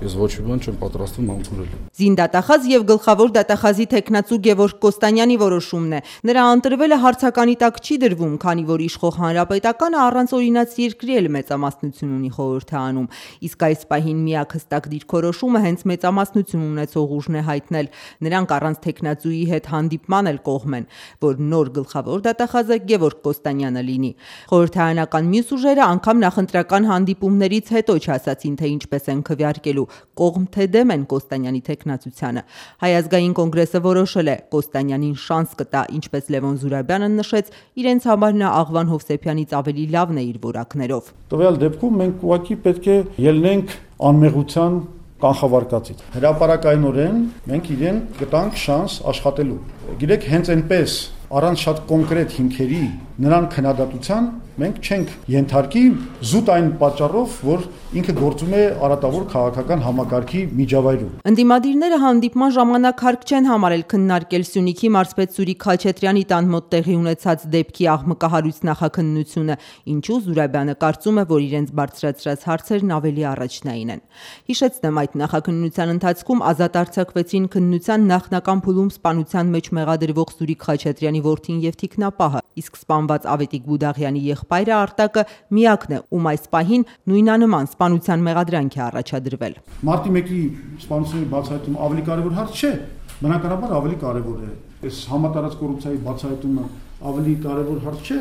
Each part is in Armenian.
ես ոչ մի բան չեմ պատրաստվում համբուրել։ Զինդատախազ եւ գլխավոր դատախազի տեխնացու Գևորգ Կոստանյանի որոշումն է։ Նրա ընտրվելը հարցականի տակ չի դրվում, քանի որ իշխող հանրապետականը առանց օրինաց երկրի էլ մեծամասնություն ունի խորհրդարանում, իսկ այս պահին միակ հստակ դիրքորոշումը հենց մեծամասնություն ունեցող ուժն է հայտնել։ Նրանք առանց տեխնացուի հետ հանդիպման էլ կողմ են, որ նոր գլխավոր դատախազը Գևորգ Կոստանյանը լինի։ Խորհրդարանական մյուս ուժերը անգամ նախընտրական հանդիպումներից հետո չասացին, թե ինչպես են քվեարկելու, կողմ թե դեմ են Կոստանյանի տեխնացությանը։ Հայ ազգային կոնգրեսը որոշել է Կոստանյանին շանս կտա, ինչպես Լևոն Զուրաբյանը նշեց, իրենց համար նա Աղվան Հովսեփյանից ավելի լավն է իր որակներով։ Տվյալ դեպքում մենք ուղղակի պետք է ելնենք անմեղության կանխավարկածից։ Հրապարակայնորեն մենք իրեն կտանք շանս աշխատելու։ Գիտեք, հենց այնպես առանց շատ կոնկրետ հիմքերի նրան քննադատության մենք չենք ենթարկի զուտ այն պատճառով, որ ինքը գործում է արատավոր քաղաքական համակարգի միջավայրում։ Ընդդիմադիրները հանդիպման ժամանակ հարկ չեն համարել քննարկել Սյունիքի մարզպետ Սուրիկ Խաչատրյանի տան մոտ տեղի ունեցած դեպքի աղմկահարույց նախաքննությունը, ինչու Զուրաբյանը կարծում է, որ իրենց բարձրացրած հարցերն ավելի առաջնային են։ Հիշեցնեմ, այդ նախաքննության ընթացքում ազատ արձակվեցին քննության նախնական փուլում սպանության մեջ մեղադրվող Սուրիկ Խաչատրյանի որդին եւ թիկնապահը, իսկ սպանված Ավետիք Բուդաղյանի եղբայրը Արտակը միակն է, ում այս պահին նույնանման սպանության մեղադրանք է առաջադրվել։ Մարտի 1-ի սպանությունների բացահայտումը ավելի կարևոր հարց չէ, բնականաբար ավելի կարևոր է։ Այս համատարած կոռուպցիայի բացահայտումը ավելի կարևոր հարց չէ,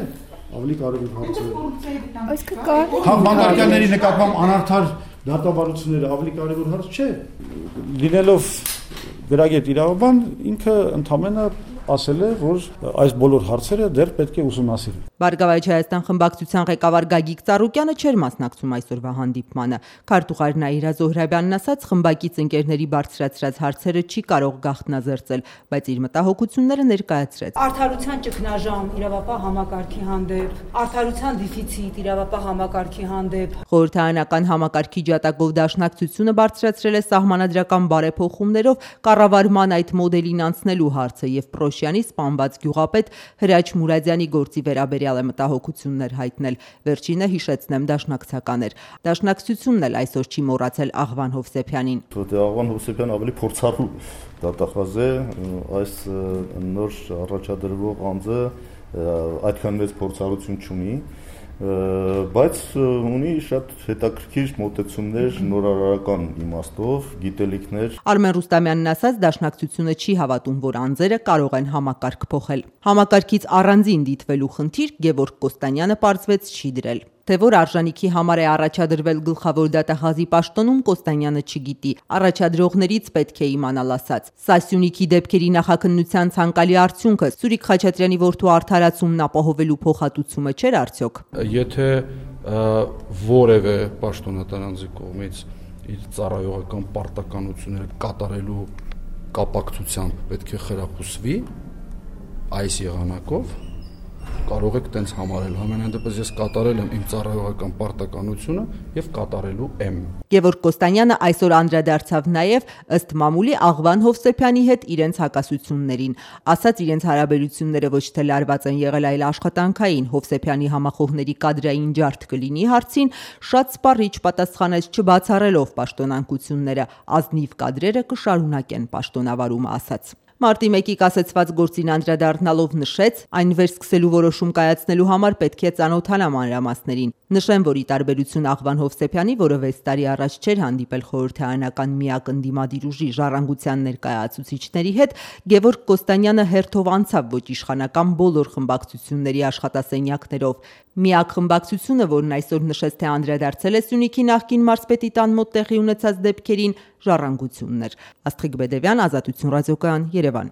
ավելի կարևոր հարց է։ Այսինքն բանկարների նկատմամբ անարդար դատավարությունները ավելի կարևոր հարց չէ։ Լինելով գրագետ իրավաբան, ինքը ընդամենը ասել է, որ այս բոլոր հարցերը դեռ պետք է ուսումնասիրել։ Բարգավաճ Հայաստան խմբակցության ղեկավար Գագիկ Ծառուկյանը չէր մասնակցում այսօրվա հանդիպմանը։ Քարտուղար Նաիրա Զոհրաբյանն ասաց, խմբակից ընկերների բարձրացրած հարցերը չի կարող գաղտնազերծել, բայց իր մտահոգությունները ներկայացրեց։ Արդարության ճգնաժամ իրավապահ համակարգի հանդեպ, արդարության դեֆիցիտ իրավապահ համակարգի հանդեպ։ Խորհրդարանական համակարգի ջատագով դաշնակցությունը բարձրացրել է սահմանադրական բարեփոխումներով կառավարման այդ մոդելին անցնելու հարցը եւ Պրոշյանի սպանված գյուղապետ Հրաչ Մուրադյանի գործի վերաբերյալ է մտահոգություններ հայտնել։ Վերջինը, հիշեցնեմ, դաշնակցական էր։ Դաշնակցությունն էլ այսօր չի մոռացել Աղվան Հովսեփյանին։ Աղվան Հովսեփյանը ավելի փորձառու դատախազ է, այս նոր առաջադրվող անձը այդքան մեծ փորձառություն չունի, բայց ունի շատ հետաքրքիր մոտեցումներ նորարարական իմաստով, գիտելիքներ։ Արմեն Ռուստամյանն ասաց, դաշնակցությունը չի հավատում, որ անձերը կարող են համակարգ փոխել։ Համակարգից առանձին դիտվելու խնդիր Գևորգ Կոստանյանը պարզվեց չի դրել։ Թե որ արժանիքի համար է առաջադրվել գլխավոր դատախազի պաշտոնում, Կոստանյանը չգիտի։ Առաջադրողներից պետք է իմանալ ասած։ Սա Սյունիքի դեպքերի նախաքննության ցանկալի արդյունքը Սուրիկ Խաչատրյանի որդու արդարացումն ապահովելու փոխհատուցումը չէր արդյոք։ Եթե որևէ պաշտոնատար անձի կողմից իր ծառայողական պարտականությունները կատարելու կապակցությամբ պետք է խրախուսվի այս եղանակով, կարող եք տենց համարել, համենայն դեպս ես կատարել եմ իմ ծառայողական պարտականությունը եւ կատարելու եմ։ Գևորգ Կոստանյանը այսօր անդրադարձավ նաեւ ըստ մամուլի Աղվան Հովսեփյանի հետ իրենց հակասություններին, ասաց իրենց հարաբերությունները ոչ թե լարված են եղել, այլ աշխատանքային։ Հովսեփյանի համախոհների կադրային ջարդ կլինի հարցին, շատ սպառիչ պատասխանեց չբացառելով պաշտոնանկությունները, ազնիվ կադրերը կշարունակեն պաշտոնավարումը ասաց։ Մարտի 1-ի կասեցված գործին անդրադառնալով նշեց, այն վերսկսելու որոշում կայացնելու համար պետք է ծանոթանալ մանրամասներին։ Նշեմ, որ ի տարբերություն Աղվան Հովսեփյանի, որը 6 տարի առաջ չէր հանդիպել խորհրդարանական միակ ընդդիմադիր ուժի ժառանգության ներկայացուցիչների հետ, Գևորգ Կոստանյանը հերթով անցավ ոչ իշխանական բոլոր խմբակցությունների աշխատասենյակներով։ Միակ խմբակցությունը, որն այսօր նշեց, թե անդրադարձել է Սյունիքի նախկին մարզպետի տան մոտ տեղի ունեցած դեպքերին, ժառանգությունն էր։ Աստղիկ Բեդևյան, Ազատություն ռադիոկայան, Երևան։